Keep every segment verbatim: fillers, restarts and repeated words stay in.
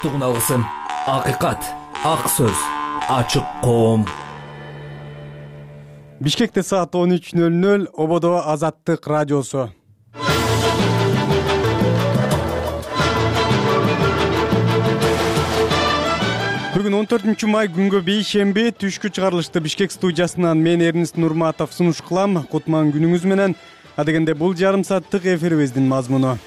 Тугун алгысым, акыйкат, ак сөз, ачык коом. Бишкекте саат он үч нөл нөл, ободо Азаттык радиосу. Бүгүн он төртүнчү май күнгө бейшемби түшкү чыгарылышты Бишкек студиясынан мен Эрнист Нурматов сунуш кылам. Кутман күнүңүз менен. Адегенде бул жарым сааттык эфирибиздин мазмуну.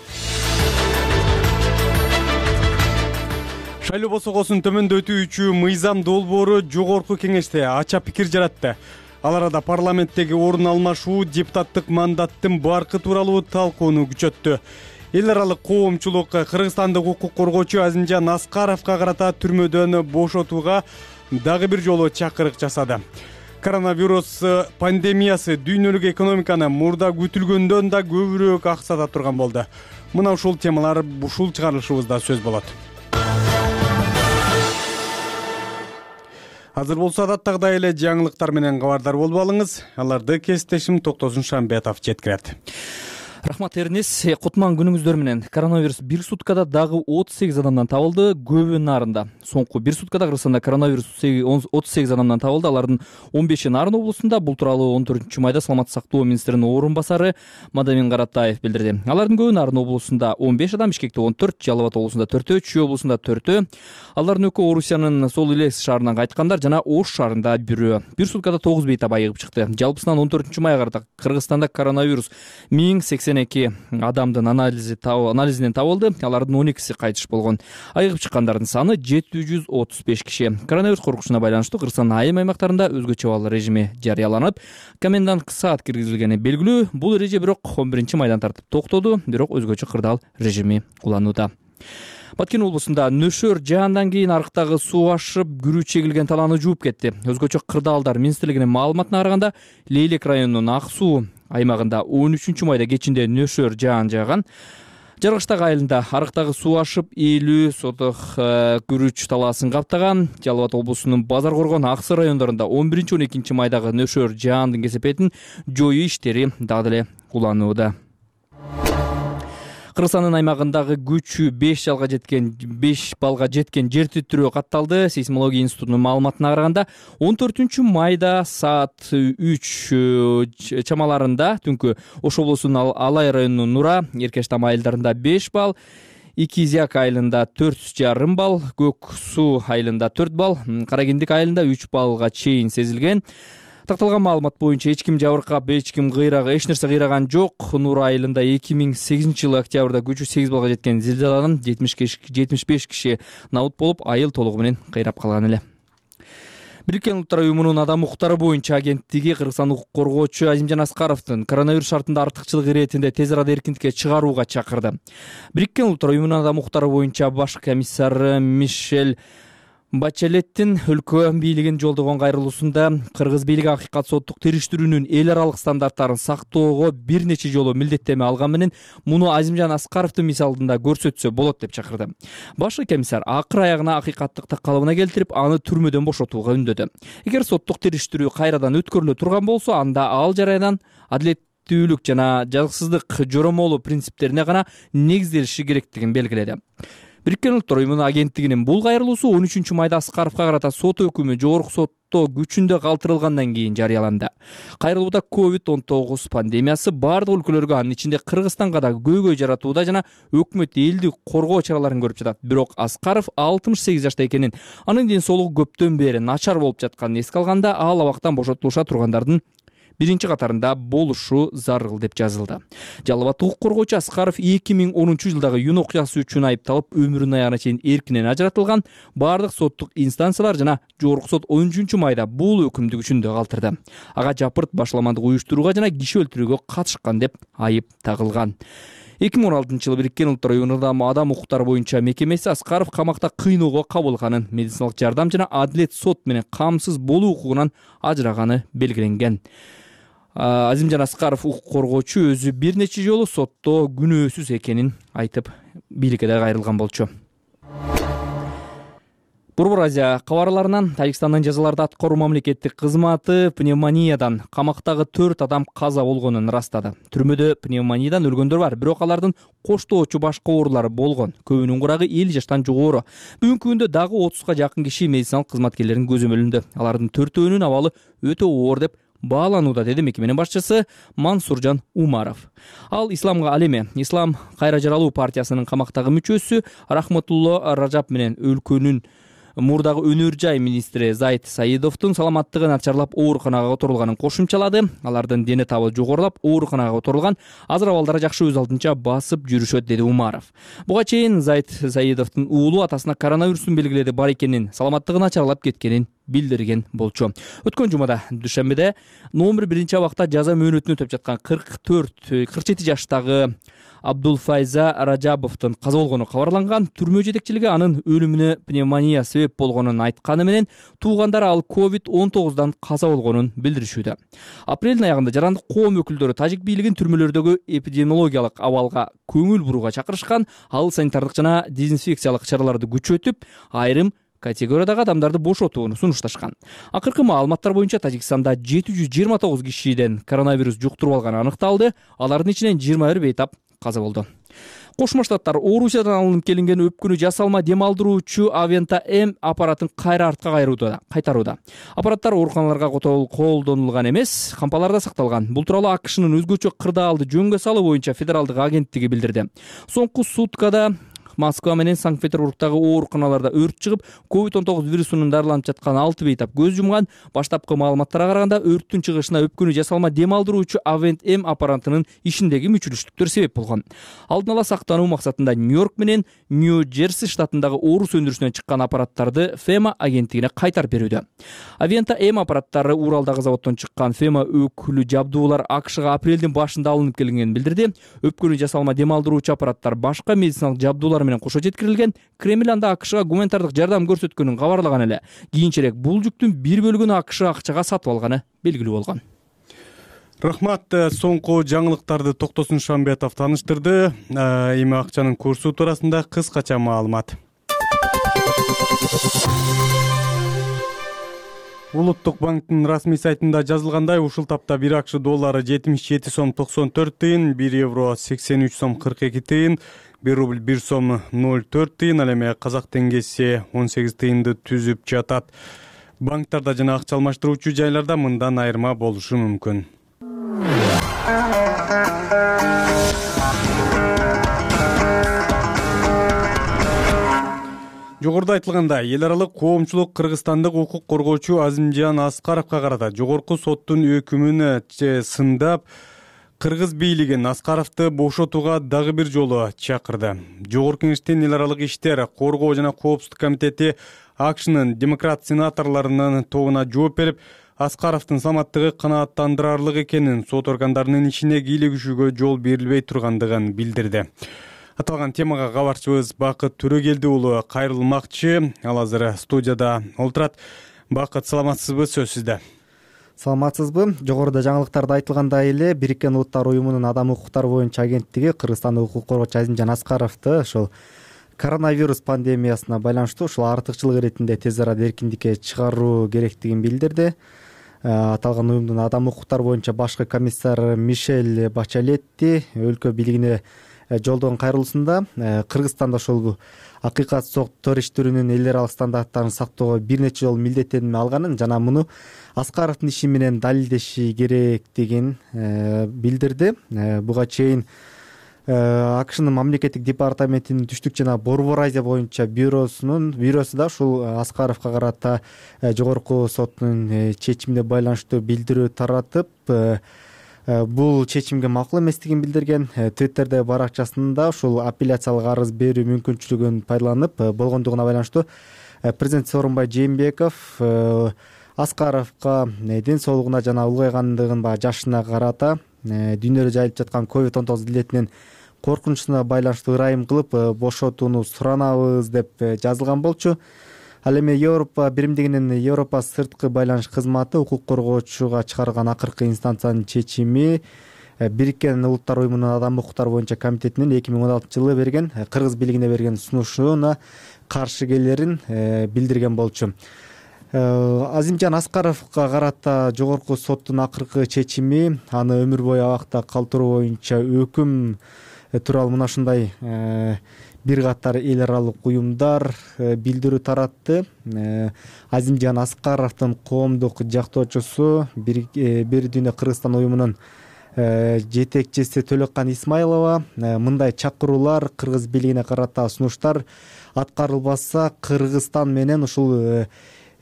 Шайлоо босогосун төмөндөтүүчү мыйзам долбоору жогорку кеңеште ача пикир жаратты. Ал арада парламенттеги орун алмашуу депутаттык мандаттын баркы тууралуу талкууну күчөттү. Эл аралык коомчулук кыргызстандык укук коргоочу Азимжан Аскаровго карата түрмөдөн бошотууга дагы бир жолу чакырык жасады. Коронавирус пандемиясы дүйнөлүк экономиканы мурда күтүлгөндөн да көбүрөөк аксата турган болду. Мына ушул темалар ушул чыгарылышыбызда сөз болот. Азыр болсо адаттагыдай эле жаңылыктар менен кабардар болуп алыңыз. Аларды кесиптешим Токтосун Шамбетов жеткирет. Рахмат Эрнис. Кутман күнүңүздөр менен. Коронавирус бир суткада дагы отуз сегиз адамдан табылды. Көбү нарында. Соңку бир суткада Кыргызстанда коронавирус отуз сегиз адамдан табылды. Алардын он беши Нарын облусунда. Бул тууралуу он төртүнчү майда Саламаттык сактоо министринин орун басары Мадамин Каратаев билдирди. Алардын көбү Нарын облусунда он беш адам, Бишкекте он төрт, Жалал Абад облусунда төртөө, Чүй облусунда төртөө. Алардын экөө Орусиянын Сол Илес шаарынан кайткандар жана Ош шаарында бирөө. Бир суткада тогуз бейт айыгып чыкты. Жалпысынан он төртүнчү майга карата Кыргызстанда коронавирус миң сексен эки адамдын анализи анализинен табылды. Алардын он экиси кайтыш болгон. Айыгып чыккандардын саны жети жүз отуз беш киши. Коронавирус коркунучуна байланыштуу Кыргызстандын айым аймактарында өзгөчө абал режими жарыяланып, комендант саат киргизилгени белгилүү. Бул эреже бирок он биринчи майдан тартып токтоду, бирок өзгөчө кырдаал режими уланууда. Баткен облусунда нөшөр жаандан кийин арыктагы суу ашып, күрүү чегилген талааны жууп кетти. Өзгөчө кырдаалдар министрлигинин маалыматына караганда, Лейлек районунун Ак суу аймагында он үчүнчү майда кечинде нөшөр жаан жааган. Жаргыштак айылында арыктагы суу ашып, элүү соток күрүч талаасын каптаган. Жалал Абад облусунун Базар Коргон, Аксы райондорунда он биринчи он экинчи майдагы нөшөр жаандын кесепетин жоюу иштери дагы деле уланууда. Кыргызстандын аймагындагы күчү беш балга жеткен беш балга жеткен жер титирөө катталды. Сейсмология институтунун маалыматына караганда он төртүнчү майда саат үч чамаларында түнкү Ош облусунун Алай районунун Нура, Эркештам айылдарында беш бал, Икизяк айылында төрт жарым бал, Көк суу айылында төрт бал, Каракендик айылында үч балга чейин сезилген. Такталган маалымат боюнча эч ким жабыркап, эч ким кыйрагы, эч нерсе кыйраган жок. Нура айылында эки миң сегизинчи жылы октябрда күчү сегиз балга жеткен зилзаладан жетимиш беш киши набут болуп, айыл толугу менен кыйрап калган эле. Бириккен Улуттар уюмунун адам укуктары боюнча агенттиги Кыргызстандык укук коргоочу Азимжан Аскаровдун коронавирус шартында артыкчылык иретинде тез арада эркиндикке чыгарууга чакырды. Бириккен Улуттар уюмунун адам укуктары боюнча баш комиссары Мишель Бачелеттин өлкө бийлигин жолдогон кайрылуусунда Кыргыз бийлиги акыйкат соттук териштирүүнүн эл аралык стандарттарын сактоого бир нече жолу милдеттеме алган менен муну Азимжан Аскаровдун мисалында көрсөтсө болот деп чакырды. Башкы комиссар акыр аягына акыйкаттыкты калыбына келтирип, аны түрмөдөн бошотууга үндөдү. Эгер соттук териштирүү кайрадан өткөрүлө турган болсо, анда ал жараядан адилеттүүлүк жана жазыксыздык жоромолу принциптерине гана негизделиши керектигин белгиледи. Бириккен Улуттар уюмунун агенттигинин бул кайрылуусу он үчүнчү майда Аскаровго карата сот өкүмү жогорку сотто күчүндө калтырылгандан кийин жарыяланды. Кайрылууда ковид он тогуз пандемиясы бардык өлкөлөргө, анын ичинде Кыргызстанга да көйгөй жаратууда жана өкмөт элди коргоо чараларын көрүп жатат. Бирок Аскаров алтымыш сегиз жашта экенин, анын ден соолугу көптөн бери начар болуп жатканын эске алганда, ал абактан бошотулуша тургандардын биринчи катарында болушу зарыл деп жазылды. Жалал Абад укук коргоочу Аскаров эки миң онунчу жылдагы июнь окуясы үчүн айыпталып, өмүрүнүн аягына чейин эркинен ажыратылган. Бардык соттук инстанциялар жана жогорку сот он үчүнчү майда бул өкүмдү күчүндө калтырды. Ага жапырт башаламандык уюштурууга жана киши өлтүрүүгө катышкан деп айып тагылган. эки миң он алтынчы жылы Бириккен Улуттар уюмунун адам укуктары боюнча мекемеси Аскаров камакта кыйноого кабылганын, медициналык жардам жана адилет сот менен камсыз болуу укугунан ажыраганы белгиленген. Азимжан Аскаров укук коргоочу өзү бир нече жолу сотто күнөөсүз экенин айтып, бийликке да кайрылган болчу. Борбор Азия кабарларынан Тажикстандын жазаларды аткаруу мамлекеттик кызматы пневмониядан камактагы төрт адам каза болгонун ырастады. Түрмөдө пневмониядан өлгөндөр бар, бирок алардын коштоочу башка оорулары болгон. Көбүнүн курагы элүү жаштан жогору. Бүгүнкү күндө дагы отузга жакын киши медициналык кызматкерлердин көзөмөлүндө. Алардын төртөөнүн абалы өтө оор деп бааланууда, деди мекеменин башчысы Мансуржан Умаров. Ал исламга ал эме Ислам кайра жаралуу партиясынын камактагы мүчөсү Рахматулло Ражап менен өлкөнүн мурдагы өнөр жай министри Зайд Саидовдун саламаттыгы начарлап ооруканага которулганын кошумчалады. Алардын дене табы жогорулап, ооруканага которулган, азыр абалдары жакшы, өз алдынча басып жүрүшөт, деди Умаров. Буга чейин Зайд Саидовдун уулу атасына коронавирустун белгилери бар экенин, саламаттыгы начарлап кеткенин билдирген болчу. Өткөн жумада дүйшөмбүдө номер биринчи абакта жаза мөөнөтүнө өтөп жаткан кырк төрт кырк жети жаштагы Абдулфайза Ражабовдун каза болгону кабарланган. Түрмө жетекчилиги анын өлүмүнө пневмония себеп болгонун айтканы менен, туугандары ал ковид он тогуздан каза болгонун билдиришүүдө. Апрелдин аягында жарандык коом өкүлдөрү тажик бийлигин түрмөлөрдөгү эпидемиологиялык абалга көңүл бурууга чакырышкан. Ал санитардык жана дезинфекциялык чараларды күчөтүп, айрым категориядагы адамдарды бошотууну сунушташкан. Акыркы маалыматтар боюнча Тажикстанда жети жүз жыйырма тогуз кишиден коронавирус жуктуруп алганы аныкталды. Алардын ичинен жыйырма бир бейтап каза болду. Кошмо Штаттар Орусиядан алынып келинген өпкүнү жасалма дем алдыруучу Авента М аппаратын кайра артка кайтарууда. Аппараттар ооруканаларга колдонулган эмес, кампаларда сакталган. Бул тууралуу АКШнын өзгөчө кырдаалды жөнгө салуу боюнча федералдык агенттиги билдирди. Соңку суткада Москва менен Санкт-Петербургдагы ооруканаларда өрт чыгып, ковид он тогуз вирусунун дарыланып жаткан алты бейтап көз жумган. Баштапкы маалыматтарга караганда, өрттүн чыгышына өпкүнү жасалма дем алдыруучу Авент М аппаратынын ишиндеги мүчүлүштүктөр себеп болгон. Алдын ала сактануу максатында Нью-Йорк менен Нью-Джерси штатындагы орус өндүрүшүнөн чыккан аппараттарды Фема агенттигине кайтарып берүүдө. Авента М аппараттары Уралдагы заводдон чыккан. Фема өкүлү жабдуулар АКШга апрелдин башында алынып келингенин билдирди. Өпкүнү жасалма дем алдыруучу аппараттар башка медициналык жабдуулар менен кошо жеткирилген. Кремль анда АКШга гуманитардык жардам көрсөткөнүн кабарлаган эле. Кийинчерээк бул жүктүн бир бөлүгүн АКШ акчага сатып алганы белгилүү болгон. Рахмат. Соңку жаңылыктарды Токтосун Шамбетов тааныштырды. Эми акчанын курсу туурасында кыскача маалымат. Улуттук банктын расмий сайтында жазылгандай, ушул тапта бир АКШ доллары жетимиш жети сом токсон төрт тыйын, бир евро сексен үч сом кырк эки тыйын, бир рубль бир сом ноль төрт тыйын, ал эми казак теңгеси он сегиз тыйынды түзүп жатат. Банктарда жана акча алмаштыруучу жайларда мындан айырма болушу мүмкүн. Жогоруда айтылгандай, эл аралык коомчулук кыргызстандык укук коргоочу Азимжан Аскаровго карата жогорку соттун өкүмүн сындап, кыргыз бийлигин Аскаровду бошотууга дагы бир жолу чакырды. Жогорку кеңештин эл аралык иштер, коргоо жана коопсуздук комитети АКШнын демократ сенаторлорунун тобуна жооп берип, Аскаровдун саламаттыгы канааттандырарлык экенин, сот органдарынын ишине кийлигишүүгө жол берилбей тургандыгын билдирди. Аталган темага кабарчыбыз Бакыт Төрөгелди уулу кайрылмакчы. Ал азыр студияда олтурат. Бакыт, саламатсызбы? Сөз сизде. Саламатсызбы? Жогоруда жаңылыктарда айтылгандай эле, Бириккен Улуттар уюмунун адам укуктары боюнча агенттиги Кыргызстандык укук коргоочу Азимжан Аскаровду ошол коронавирус пандемиясына байланыштуу ушул артыкчылык иретинде тез арада эркиндикке чыгаруу керектигин билдирди. Аталган уюмдун адам укуктары боюнча башкы комиссар Мишель Бачалетти өлкө бийлигине жолдогон кайрылуусунда Кыргызстанда ошол акыйкат соттор иштөрүнүн эл аралык стандарттарын сактоого бир нече жолу милдеттенме алганын жана муну Аскаровдун иши менен далилдеши керектигин билдирди. Буга чейин АКШнын мамлекеттик департаментинин түштүк жана Борбор Азия боюнча бюросунун бюросу да ушул Аскаровго карата жогорку соттун чечимине байланыштуу билдирүү таратып, бул чечимге макул эместигин билдирген. Твиттерде баракчасында ушул апелляциялык арыз берүү мүмкүнчүлүгүн пайдаланып болгондугуна байланыштуу президент Сооронбай Жээнбеков Аскаровго ден соолугуна жана улгайгандыгын баягы жашына карата дүйнөдө жайылып жаткан ковид он тогуз илетинин коркунучуна байланыштуу ырайым кылып бошотууну суранабыз деп жазылган болчу. Ал эми Европа биримдигинин Европа сырткы байланыш кызматы укук коргоочуга чыгарган акыркы инстанциянын чечими Бириккен Улуттар уюмунун Адам укуктары боюнча комитетинин эки миң он алтынчы жылы берген кыргыз бийлигине берген сунушуна каршы келерин билдирген болчу. Азимжан Аскаровго карата жогорку соттун акыркы чечими аны өмүр бою абакта калтыруу боюнча өкүм тууралуу мына ушундай бир катар эл аралык уюмдар билдирүү таратты. Азимжан Аскаровдун коомдук жактоочусу Бир дүйнө Кыргызстан уюмунун жетекчиси Төлөккан Исмайлова мындай чакыруулар кыргыз бийлигине карата сунуштар аткарылбаса Кыргызстан менен ушул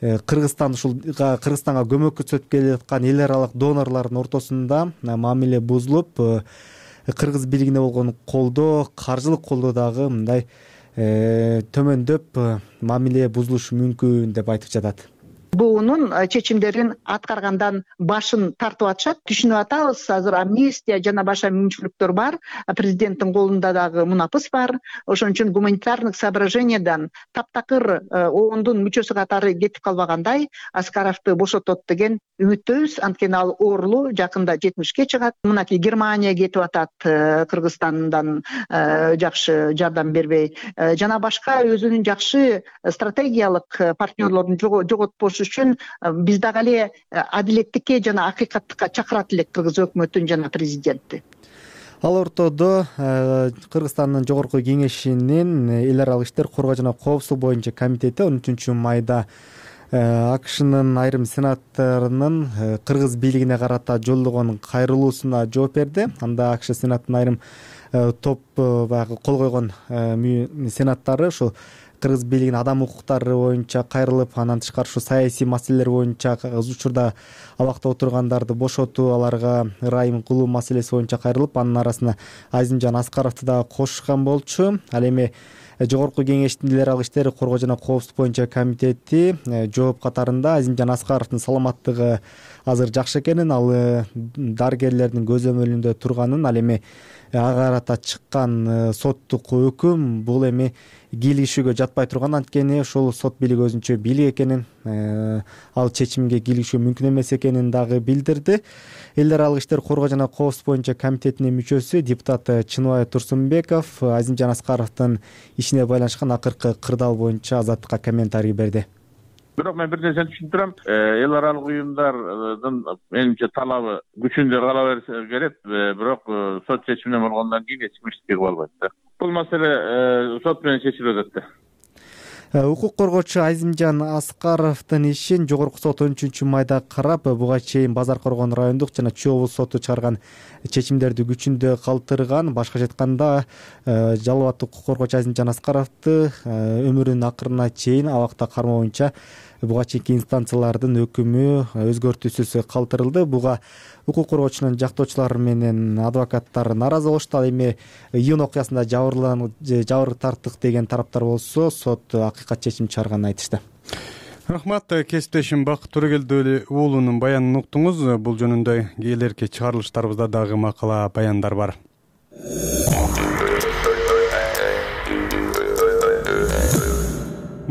Кыргызстан ушул Кыргызстанга көмөк көрсөтүп келе жаткан эл аралык донорлордун ортосунда мамиле бузулуп, кыргыз бийлигине болгон колдоо, каржылык колдоо дагы мындай төмөндөп мамиле бузулушу мүмкүн деп айтып жатат. Буунун чечимдерин аткаргандан башын тартып атышат. Түшүнүп атабыз, азыр амнистия жана башка мүмкүнчүлүктөр бар. Президенттин колунда дагы мунапыс бар. Ошон үчүн гуманитарный соображениядан таптакыр оондун мүчөсү катары кетип калбагандай Аскаровду бошотот деген үмүттөбүз. Анткени ал оорулуу, жакында жетимишке чыгат. Мынакей Германия кетип атат, Кыргызстандан жакшы жардам бербей. Жана башка өзүнүн жакшы стратегиялык партнерлорун жоготпош үчүн биз дагы эле адилеттикке жана акыйкаттыкка чакырат элек кыргыз өкмөтүн жана президентти. Ал ортодо Кыргызстандын жогорку кеңешинин эл аралык иштер, коргоо жана коопсуздук боюнча комитети он үчүнчү майда АКШнын айрым сенаторунун кыргыз бийлигине карата жолдогон кайрылуусуна жооп берди. Анда АКШ сенаттын айрым топ баягы кол койгон сенаттары ушул кыргыз бийлигинин адам укуктары боюнча кайрылып, анан тышкары ушу саясий маселелер боюнча учурда абакта отургандарды бошотуу, аларга ырайым кылуу маселеси боюнча кайрылып, анын арасына Азимжан Аскаровду дагы кошушкан болчу. Ал эми жогорку кеңештин эл аралык иштер, коргоо жана коопсуздук боюнча комитети жооп катарында Азимжан Аскаровдун саламаттыгы азыр жакшы экенин, ал дарыгерлердин көзөмөлүндө турганын, ал эми ага карата чыккан соттук өкүм бул эми кийлигишүүгө жатпай турган, анткени ушул сот бийлиги өзүнчө бийлик экенин, ал чечимге кийлигишүү мүмкүн эмес экенин дагы билдирди. Эл аралык иштер, коргоо жана коопсуздук боюнча комитетинин мүчөсү депутат Чыныбай Турсунбеков Азимжан Аскаровдун ишине байланышкан акыркы кырдаал боюнча Азаттыкка комментарий берди. Бирок мен бир нерсени түшүнүп турам. Эл аралык уюмдардын менимче талабы күчүндө кала берсе керек, бирок сот чечиминен болгондон кийин эч ким иштей албайт да. Бул маселе сот менен чечилип атат да. Укук коргоочу Азимжан Аскаровдун ишин жогорку сот он үчүнчү майда карап, буга чейин Базар Коргон райондук жана Чүй облус соту чыгарган чечимдерди күчүндө калтырган. Башкача айтканда, жалал укук коргоочу Азимжан Аскаровду өмүрүнүн акырына чейин абакта кармоо боюнча буга чейинки инстанциялардын өкүмү өзгөртүүсүз калтырылды. Буга укук коргоочунун жактоочулары менен адвокаттар нааразы болушту. Ал эми июнь окуясында жабыр тарттык деген тараптар болсо, сот акыйкат чечим чыгарганын айтышты. Рахмат, кесиптешим Бакыт Төрөгелди уулунун баянын уктуңуз. Бул жөнүндө келерки чыгарылыштарыбызда дагы макала баяндар бар.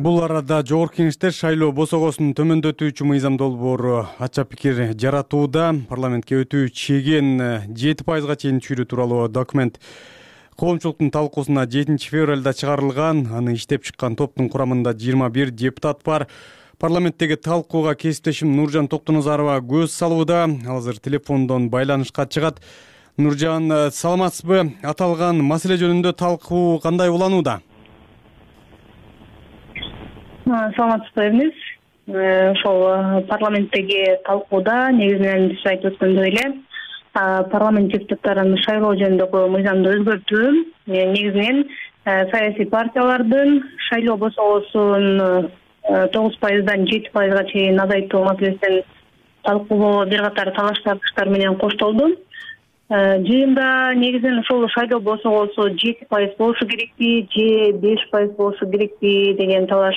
Бул арада жогорку кеңештер шайлоо босогосун төмөндөтүүчү мыйзам долбоору ача пикир жаратууда. Парламентке өтүү чеген жети пайызга чейин түшүрүү тууралуу документ коомчулуктун талкуусуна жетинчи февралда чыгарылган. Аны иштеп чыккан топтун курамында жыйырма бир депутат бар. Парламенттеги талкууга кесиптешим Нуржан Токтоназарова көз салууда. Ал азыр телефондон байланышка чыгат. Нуржан, саламатсызбы? Аталган маселе жөнүндө талкуу кандай уланууда? Саламатсызбы эмес. Ошол парламенттеги талкууда негизинен сиз айтып өткөндөй эле парламент депутаттарын шайлоо жөнүндөгү мыйзамды өзгөртүү негизинен саясий партиялардын шайлоо босогосун тогуз пайыздан жети пайызга чейин азайтуу маселесин талкуулоо бир катар талаш тартыштар менен коштолду. Жыйында негизинен ошол шайлоо босогосу жети пайыз болушу керекпи же беш пайыз болушу керекпи деген талаш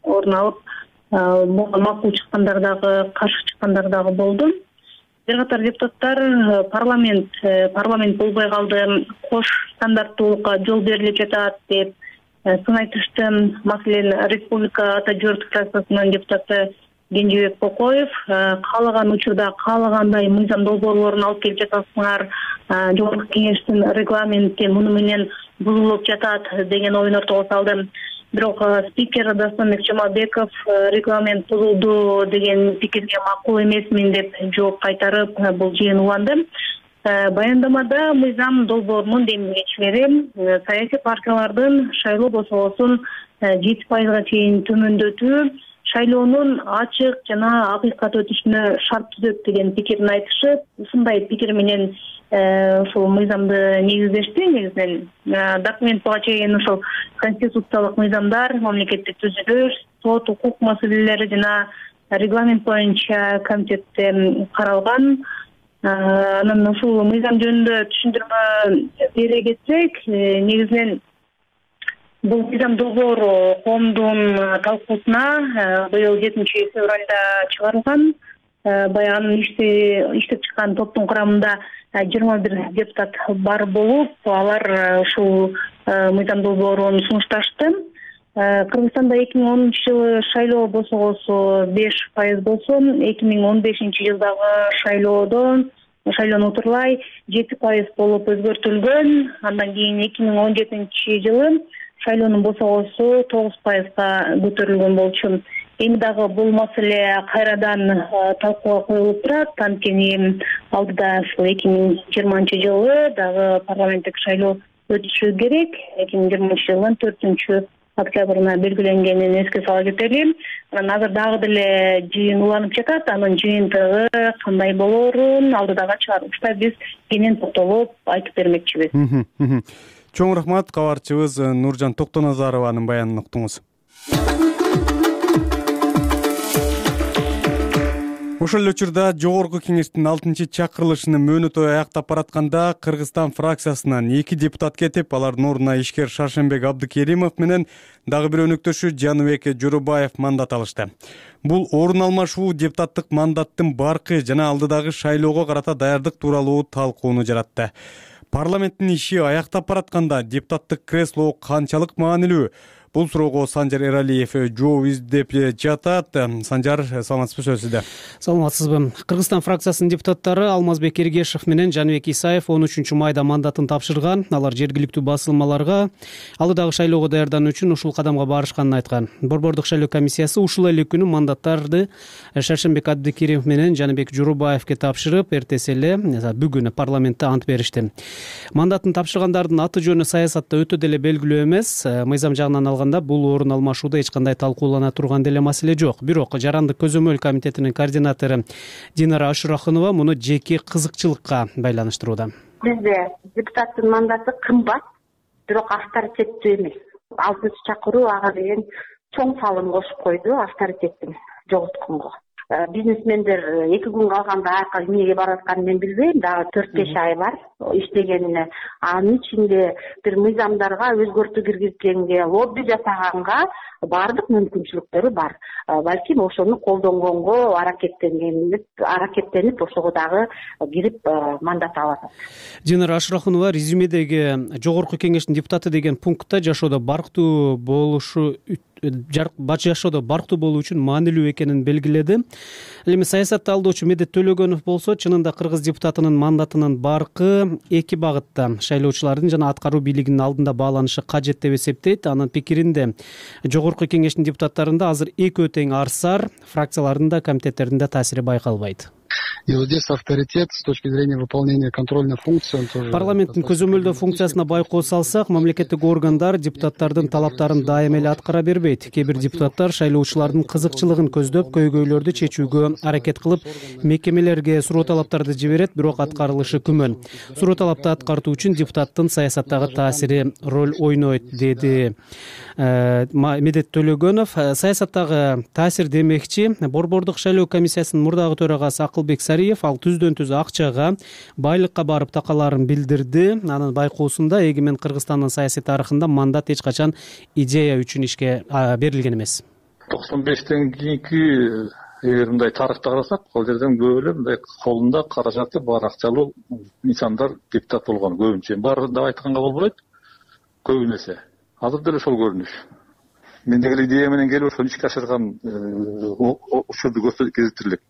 орун алып, буга макул чыккандар дагы, каршы чыккандар дагы болду. Бир катар депутаттар парламент парламент болбой калды, кош стандарттуулукка жол берилип жатат деп сын айтышты. Маселен, Республика Ата Журт фракциясынын депутаты Кенжебек Кокоев каалаган учурда каалагандай мыйзам долбоорлорун алып келип жатасыңар, жогорку кеңештин регламенти муну менен бузулуп жатат деген оюн ортого салды. Бирок спикер Дастанбек Жамалбеков регламент бузулду деген пикирге макул эмесмин деп жооп кайтарып, бул жыйын уланды. Баяндамада мыйзам долбоорунун демилгечилери саясий партиялардын шайлоо босогосун жети пайызга чейин төмөндөтүү шайлоонун ачык жана акыйкат өтүшүнө шарт түзөт деген пикирин айтышып, ушундай пикир менен ушул мыйзамды негиздешти. Негизинен документ буга чейин ушул конституциялык мыйзамдар, мамлекеттик түзүлүш, сот, укук маселелери жана регламент боюнча комитетте каралган. Анан ушул мыйзам жөнүндө түшүндүрмө бере кетсек, негизинен бул мыйзам долбоору коомдун талкуусуна быйыл жетинчи февралда чыгарылган. Баягы анын иштеп чыккан топтун курамында жыйырма бир депутат бар болуп, алар ушул мыйзам долбоорун сунушташты. Кыргызстанда эки миң онунчу жылы шайлоо босогосу беш пайыз болсо, эки миң он бешинчи жылдагы шайлоодо шайлоону утурлай жети пайыз болуп өзгөртүлгөн. Андан кийин эки миң он жетинчи жылы шайлоонун босогосу тогуз пайызга көтөрүлгөн болчу. Эми дагы бул маселе кайрадан талкууга коюлуп турат. Анткени алдыда ушул эки миң жыйырманчы жылы дагы парламенттик шайлоо өтүшү керек. эки миң жыйырманчы жылдын төртүнчү октябрына белгиленгенин эске сала кетели. Анан азыр дагы деле жыйын уланып жатат. Анын жыйынтыгы кандай болоорун алдыдагы чыгарылышта биз кенен токтолуп айтып бермекчибиз. Чоң рахмат, кабарчыбыз Нуржан Токтоназарованын баянын уктуңуз. Ошол эле учурда жогорку кеңештин алтынчы чакырылышынын мөөнөтү аяктап баратканда Кыргызстан фракциясынан эки депутат кетип, алардын ордуна ишкер Шаршенбек Абдыкеримов менен дагы бир өнөктөшү Жаныбек Жорубаев мандат алышты. Бул орун алмашуу депутаттык мандаттын баркы жана алдыдагы шайлоого карата даярдык тууралуу талкууну жаратты. Парламенттин иши аяктап баратканда депутаттык кресло канчалык маанилүү? Бул суроого Санжар Эралиев жооп издеп жатат. Санжар, саламатсызбы, сөз сизде. Саламатсызбы. Кыргызстан фракциясынын депутаттары Алмазбек Эргешев менен Жаныбек Исаев он үчүнчү майда мандатын тапшырган. Алар жергиликтүү басылмаларга алдыдагы шайлоого даярдануу үчүн ушул кадамга барышканын айткан. Борбордук шайлоо комиссиясы ушул эле күнү мандаттарды Шаршенбек Абдыкеримов менен Жаныбек Жорубаевге тапшырып, эртеси эле бүгүн парламентте ант беришти. Мандатын тапшыргандардын аты жөнү саясатта өтө деле белгилүү эмес. Мыйзам жагынан алганда бул орун алмашууда эч кандай талкуулана турган деле маселе жок. Бирок Жарандык көзөмөл комитетинин координатору Динара Ашурахунова муну жеке кызыкчылыкка байланыштырууда. Бизде депутаттын мандаты кымбат, бирок авторитеттүү эмес. Алтынчы чакыруу ага деген чоң салым кошуп койду авторитеттин жоготконго. Бизнесмендер эки күн калганда аяка эмнеге барып атканын мен билбейм. Дагы төрт беш ай бар иштегенине. Анын ичинде бир мыйзамдарга өзгөртүү киргизгенге, лобби жасаганга баардык мүмкүнчүлүктөрү бар. Балким ошону колдонгонго аракеттенгенип, аракеттенип ошого дагы кирип мандат алат. Динара Ашурахунова резюмедеги жогорку кеңештин депутаты деген пунктта жашоодо барктуу болушу бач жашоодо барктуу болуу үчүн маанилүү экенин белгиледи. Эми саясатты алдоочу Медет Төлөгөнов болсо, чынында кыргыз депутатынын мандатынын баркы эки багытта шайлоочулардын жана аткаруу бийлигинин алдында бааланышы кажет деп эсептейт. Анын пикиринде жогорку кеңештин депутаттарында азыр экөө тең арсар, фракциялардын да комитеттердин да таасири байкалбайт. И вот здесь авторитет с точки зрения выполнения контрольной функции, он тоже... Парламенттин көзөмөлдөө функциясына байкоо салсак, мамлекеттик органдар депутаттардын талаптарын дайым эле аткара бербейт. Кээ бир депутаттар шайлоочулардын кызыкчылыгын көздөп, көйгөйлөрдү чечүүгө аракет кылып, мекемелерге суроо талаптарды жиберет, бирок аткарылышы күмөн. Суроо талапты аткартуу үчүн депутаттын саясаттагы таасири роль ойнойт, деди Медет Төлөгөнов. Саясаттагы таасир демекчи, Борбордук шайлоо комиссиясынын мурдагы төрагасы Акылбек Сариев ал түздөн түз акчага, байлыкка барып такаларын билдирди. Анын байкоосунда эгемен Кыргызстандын саясий тарыхында мандат эч качан идея үчүн ишке берилген эмес. токсон бештен кийинки эгер мындай тарыхты карасак, ал жерден көп эле мындай колунда каражаты бар акчалуу инсандар депутат болгон көбүнчө. Баарын да айтканга болбойт, көбүнесе. Азыр деле ошол көрүнүш. Мен деген идея менен келип ошону ишке ашырган учурду көрсөтүп элек.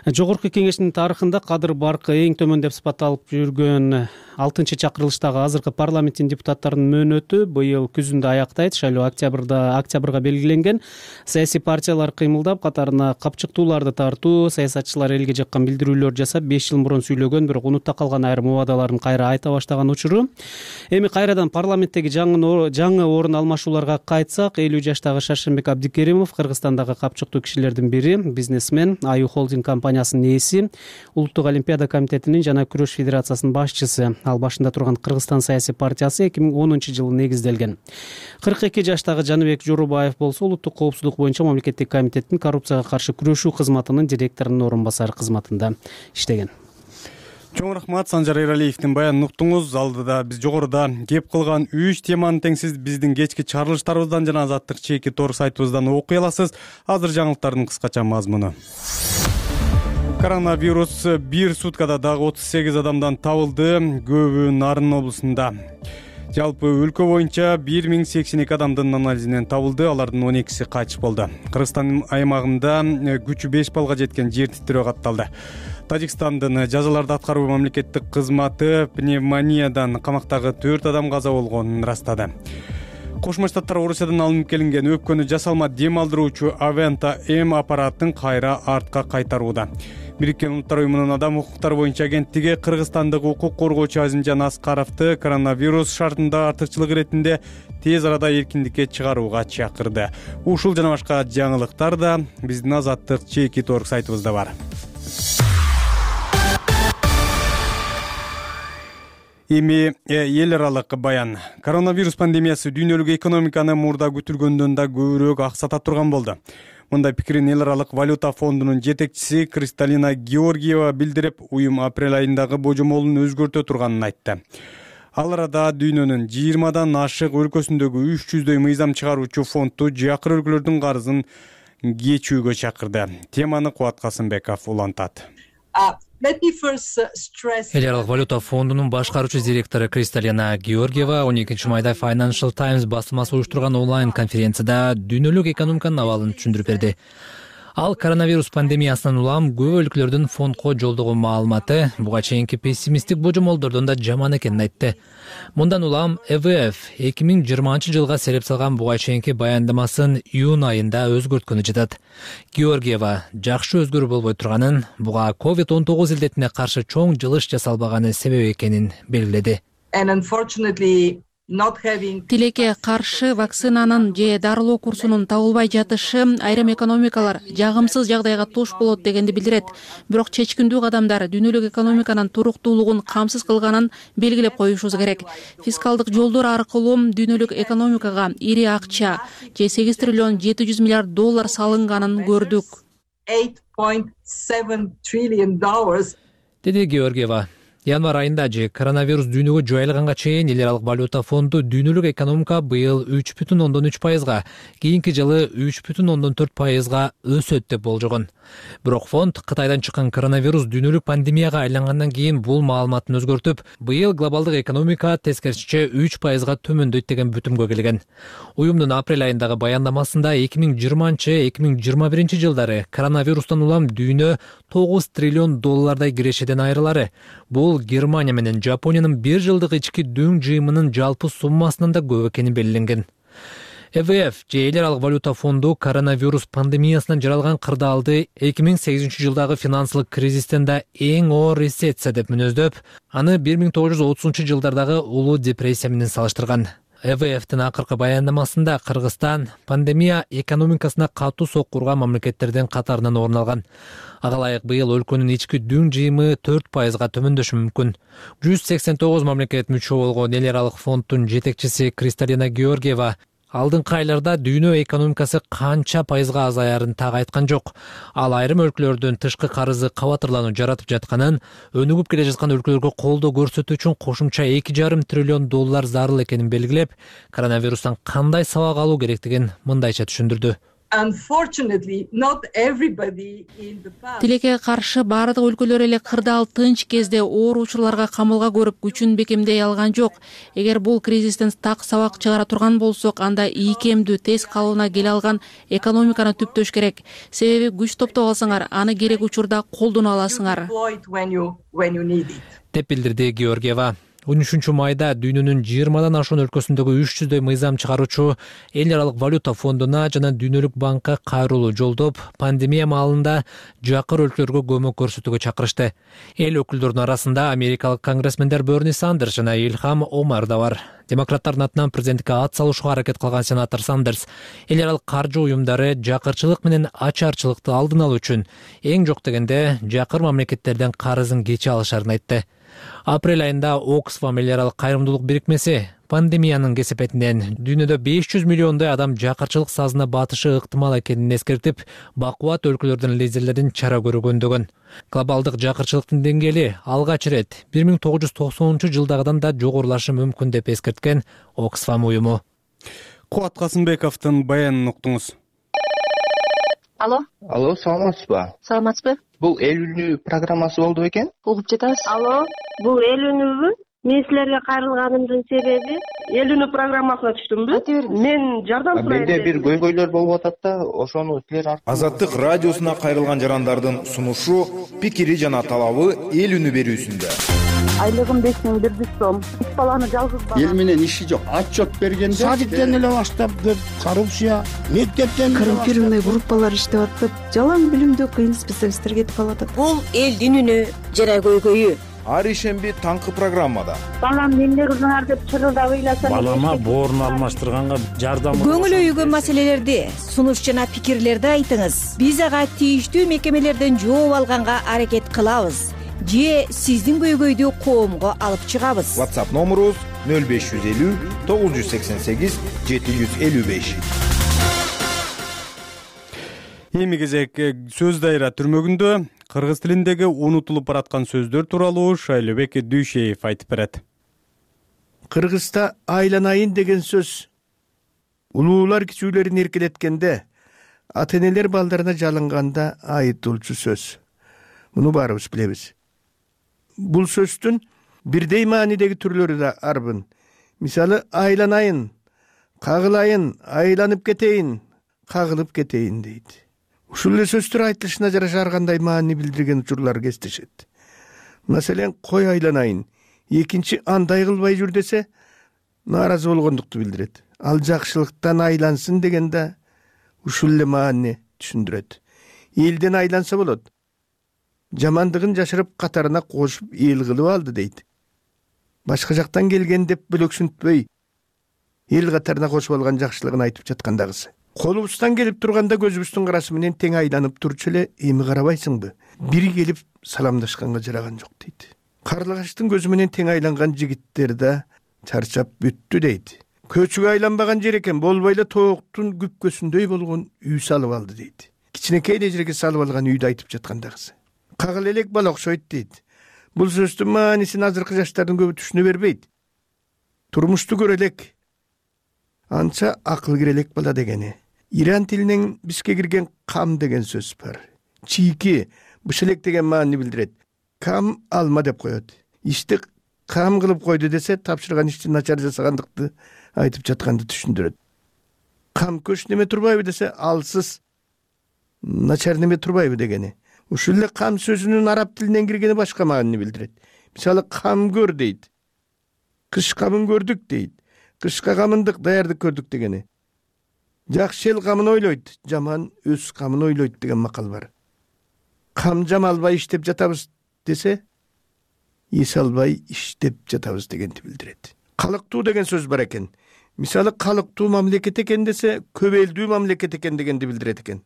Жогорку кеңештин тарыхында кадыр баркы эң төмөн деп сыпатталып жүргөн алтынчы чакырылыштагы азыркы парламенттин депутаттарынын мөөнөтү быйыл күзүндө аяктайт. Шайлоо октябрда октябрга белгиленген. Саясий партиялар кыймылдап, катарына капчыктууларды тартуу, саясатчылар элге жаккан билдирүүлөр жасап, беш жыл мурун сүйлөгөн, бирок унутта калган айрым убадаларын кайра айта баштаган учуру. Эми кайрадан парламенттеги жаңы жаңы орун алмашууларга кайтсак, элүү жаштагы Шаршенбек Абдикеримов Кыргызстандагы капчыктуу кишилердин бири, бизнесмен, Аю холдинг компаниясынын ээси, Улуттук олимпиада комитетинин жана күрөш федерациясынын башчысы. Ал башында турган Кыргызстан саясий партиясы эки миң онунчу жылы негизделген. кырк эки жаштагы Жаныбек Жорубаев болсо улуттук коопсуздук боюнча мамлекеттик комитеттин коррупцияга каршы күрөшүү кызматынын директорунун орун басары кызматында иштеген. Чоң рахмат, Санжар Эралиевдин баянын уктуңуз. Алдыда биз жогоруда кеп кылган үч теманы теңсиз биздин кечки чарылыштарыбыздан жана Азаттык чеки тор сайтыбыздан окуй аласыз. Азыр жаңылыктардын кыскача мазмуну. Коронавирус бир суткада дагы отуз сегиз адамдан табылды, көбү Нарын облусунда. Жалпы өлкө боюнча бир миң сексен эки адамдын анализинен табылды, алардын он экиси кайтыш болду. Кыргызстан аймагында күчү беш балга жеткен жер титирөө катталды. Тажикстандын жазаларды аткаруу мамлекеттик кызматы пневмониядан камактагы төрт адам каза болгонун ырастады. Кошмо Штаттар Орусиядан алынып келинген өпкөнү жасалма дем алдыруучу Aventa M аппаратын кайра артка кайтарууда. Бириккен Улуттар уюмунун адам укуктары боюнча агенттиги кыргызстандык укук коргоочу Азимжан Аскаровду коронавирус шартында артыкчылык иретинде тез арада эркиндикке чыгарууга чакырды. Ушул жана башка жаңылыктар да биздин Азаттык чеки тор сайтыбызда бар. Эми эл аралык баян. Коронавирус пандемиясы дүйнөлүк экономиканы мурда күтүлгөндөн да көбүрөөк аксата турган болду. Мындай пикирин эл аралык валюта фондунун жетекчиси Кристалина Георгиева билдирип, уюм апрель айындагы божомолун өзгөртө турганын айтты. Ал арада дүйнөнүн жыйырмадан ашык өлкөсүндөгү үч жүздөй мыйзам чыгаруучу фонду жакыр өлкөлөрдүн карызын кечүүгө чакырды. Теманы Кубат Касымбеков улантат. Эл аралык валюта фондунун башкаруучу директору Кристалина Георгиева он экинчи майда Financial Times басылмасы уюштурган онлайн конференцияда дүйнөлүк экономиканын абалын түшүндүрүп берди. Ал коронавирус пандемиясынан улам көп өлкөлөрдүн фондко жолдогон маалыматы буга чейинки пессимисттик божомолдордон да жаман экенин айтты. Мындан улам э вэ эф эки миң жыйырманчы жылга сереп салган буга чейинки баяндамасын июнь айында өзгөрткөнү жатат. Георгиева жакшы өзгөрүү болбой турганын, буга ковид он тогуз илдетине каршы чоң жылыш жасалбаганы себеп экенин белгиледи. Тилекке каршы вакцинанын же дарылоо курсунун табылбай жатышы айрым экономикалар жагымсыз жагдайга туш болот дегенди билдирет. Бирок чечкиндүү кадамдар дүйнөлүк экономиканын туруктуулугун камсыз кылганын белгилеп коюшубуз керек. Фискалдык жолдор аркылуу дүйнөлүк экономикага ири акча же сегиз триллион жети жүз миллиард доллар салынганын көрдүк. Деди Георгиева. Январь айында же коронавирус дүйнөгө жайылганга чейин эл аралык валюта фонду дүйнөлүк экономика быйыл үч бүтүн ондон үч пайызга, кийинки жылы үч бүтүн ондон төрт пайызга өсөт деп болжогон. Бирок фонд Кытайдан чыккан коронавирус дүйнөлүк пандемияга айлангандан кийин бул маалыматын өзгөртүп, быйыл глобалдык экономика тескерисинче үч пайызга төмөндөйт деген бүтүмгө келген. Уюмдун апрель айындагы баяндамасында эки миң жыйырманчы эки миң жыйырма биринчи жылдары коронавирустан улам дүйнө тогуз триллион доллардай кирешеден айрылары. Бул Германия менен Жапониянын бир жылдык ички дөң жыйымынын жалпы суммасынан да көп экени белгиленген. э вэ эф же эл аралык валюта фонду коронавирус пандемиясынан жаралган кырдаалды эки миң сегизинчи жылдагы финансылык кризистен да эң оор рецессия деп мүнөздөп, аны бир миң тогуз жүз отузунчу жылдардагы улуу депрессия менен салыштырган. э вэ эфтин акыркы баяндамасында Кыргызстан пандемия экономикасына катуу соккурган мамлекеттердин катарынан орун алган. Ага ылайык быйыл өлкөнүн ички дөң жыйымы төрт пайызга төмөндөшү мүмкүн. жүз сексен тогуз мамлекет мүчө болгон эл аралык фонддун жетекчиси Кристалина Георгиева алдыңкы айларда дүйнө экономикасы канча пайызга азаярын так айткан жок. Ал айрым өлкөлөрдүн тышкы карызы кабатырлануу жаратып жатканын, өнүгүп келе жаткан өлкөлөргө колдоо көрсөтүү үчүн кошумча эки жарым триллион доллар зарыл экенин белгилеп, коронавирустан кандай сабак алуу керектигин мындайча түшүндүрдү. тилекке каршы баардык өлкөлөр эле кырдаал тынч кезде оор учурларга камылга көрүп күчүн бекемдей алган жок. Эгер бул кризистен так сабак чыгара турган болсок, анда ийкемдүү тез калыбына келе алган экономиканы түптөш керек. Себеби күч топтоп алсаңар, аны керек учурда колдоно аласыңар, деп билдирди Георгиева. он үчүнчү майда дүйнөнүн жыйырмадан ашуун өлкөсүндөгү үч жүздөй мыйзам чыгаруучу эл аралык валюта фондуна жана Дүйнөлүк банкка кайрылуу жолдоп, пандемия маалында жакыр өлкөлөргө көмөк көрсөтүүгө чакырышты. Эл өкүлдөрүнүн арасында америкалык конгрессмендер Берни Сандерс жана Илхам Омар да бар. Демократтардын атынан президентке ат салышууга аракет кылган сенатор Сандерс эл аралык каржы уюмдары жакырчылык менен ачарчылыкты алдын алуу үчүн эң жок дегенде жакыр мамлекеттерден карызын кече алышарын айтты. Апрель айында Оксфам эл аралык кайрымдуулук бирикмеси пандемиянын кесепетинен дүйнөдө беш жүз миллиондой адам жакырчылык сазына батышы ыктымал экенин эскертип, бакубат өлкөлөрдүн лидерлерин чара көргөндөгөн. Глобалдык жакырчылыктын деңгээли алгач ирет бир миң тогуз жүз токсонунчу жылдагыдан да жогорулашы мүмкүн деп эскерткен Оксфам уюму. Кубат Касымбековдун баянын уктуңуз. Алло. Алло, саламатсызбы? Саламатсызбы? Бул эл үнү программасы болду бекен? Угуп жатабыз. Алло, бул эл үнүбү? Мен силерге кайрылганымдын себеби эл үнү программасына түштүмбү? Мен жардам сурайм. Менде бир көйгөйлөр болуп атат да, ошону силер аркылуу. Азаттык радиосуна кайрылган жарандардын сунушу, пикири жана талабы эл үнү берүүсүндө. Айлыгым беш миң бир жүз сом. Үч баланы жалгыз бала. Эл менен иши жок. Отчет бергенде садиктен эле баштап деп, коррупция, мектептен коррумпированный группалар иштеп атып, жалаң билимдүү кыйын специалисттер кетип калатат. Бул элдин үнү жана көйгөйү. Ар ишемби таңкы программада. Балам эмне кылдыңар деп чырылдап ыйласам. Балама боорун алмаштырганга жардам. Көңүл өйгөн маселелерди, сунуш жана пикирлерди айтыңыз. Биз ага тийиштүү мекемелерден жооп алганга аракет кылабыз. Же сиздин көйгөйдү коомго алып чыгабыз. WhatsApp номерубуз нөл беш жүз элүү тогуз жүз сексен сегиз жети жүз элүү беш. Эми кезек сөз дайра түрмөгүндө кыргыз тилиндеги унутулуп бараткан сөздөр тууралуу Шайлообек Дүйшеев айтып берет. Кыргызда айланайын деген сөз улуулар кичүүлөрүн эркелеткенде, ата-энелер балдарына жалынганда айытылчу сөз. Муну баарыбыз билебиз. Бул сөздүн бирдей маанидеги түрлөрү да арбын. Мисалы айланайын, кагылайын, айланып кетейин, кагылып кетейин дейт. Ушул эле сөздөр айтылышына жараша ар кандай маани билдирген учурлар кездешет. Маселен, кой айланайын, экинчи андай кылбай жүр десе, нааразы болгондукту билдирет. Ал жакшылыктан айлансын дегенде ушул эле маани түшүндүрөт. Элден айланса болот. Жамандыгын жашырып катарына кошуп эл кылып алды дейт. Башка жактан келген деп бөлөксүнтпөй, эл катарына кошуп алган жакшылыгын айтып жаткандагысы. Колубуздан келип турганда көзүбүздүн карасы менен тең айланып турчу эле, эми карабайсыңбы? Бири келип саламдашканга жараган жок дейт. Карлыгачтын көзү менен тең айланган жигиттер да чарчап бүттү дейт. Көчүгө айланбаган жер экен, болбой эле тооктун күпкөсүндөй болгон үй салып алды дейт. Кичинекей эле жерге салып алган үйдү айтып жаткандагысы. Кагыл элек бала окшойт дейт. Бул сөздүн маанисин азыркы жаштардын көбү түшүнө бербейт. Турмушту көрө элек, анча акыл кире элек бала дегени. Иран тилинен бизге кирген кам деген сөз бар. Чийки, бышелек деген маани билдирет. Кам алма деп коет. Ишти кам кылып койду десе, тапшырган ишти начар жасагандыкты айтып жатканды түшүндүрөт. Кам көч неме турбайбы десе, алсыз начар неме турбайбы дегени. Ушул эле кам сөзүнүн араб тилинен киргени башка маани билдирет. Мисалы, кам көр дейт. Кыш камын көрдүк дейт. Кышка камындык даярдык көрдүк дегени. Жакшы эл камын ойлойт, жаман өз камын ойлойт деген макал бар. Кам жамалбай иштеп жатабыз десе, эс албай иштеп жатабыз дегенди билдирет. Калыктуу деген сөз бар экен. Мисалы, калыктуу мамлекет экен десе, көп элдүү мамлекет экен дегенди билдирет экен.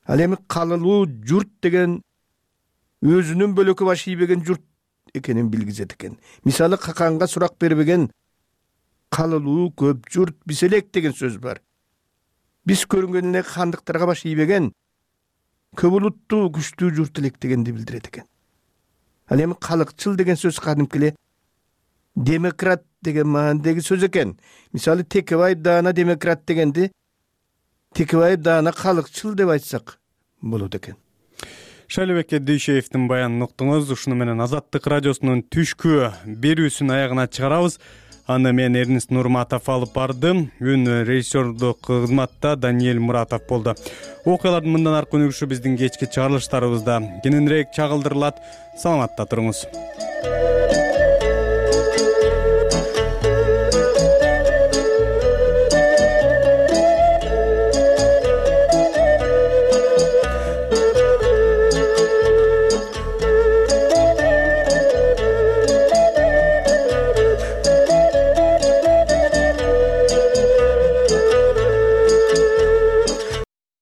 Ал эми калылуу журт деген өзүнүн бөлөкө баш ийбеген журт экенин билгизет экен. Мисалы, каканга сурак бербеген калылуу көп журт биселек деген сөз бар. Биз көрүнгөн эле хандыктарга баш ийбеген көп улуттуу күчтүү журт элек дегенди билдирет экен. Ал эми калыкчыл деген сөз кадимки эле демократ деген маанидеги сөз экен. Мисалы, Текебаев даана демократ дегенди Текебаев даана калыкчыл деп айтсак болот экен. Шайлообек Дүйшеевдин баянын уктуңуз. Ушуну менен Азаттык радиосунун түшкү берүүсүн аягына чыгарабыз. Аны мен Эрнест Нурматов алып бардым. Үн режиссердук кызматта Даниэль Муратов болду. Окуялардын мындан аркы өнүгүшү биздин кечки чыгарылыштарыбызда кененирээк чагылдырылат. Саламатта туруңуз.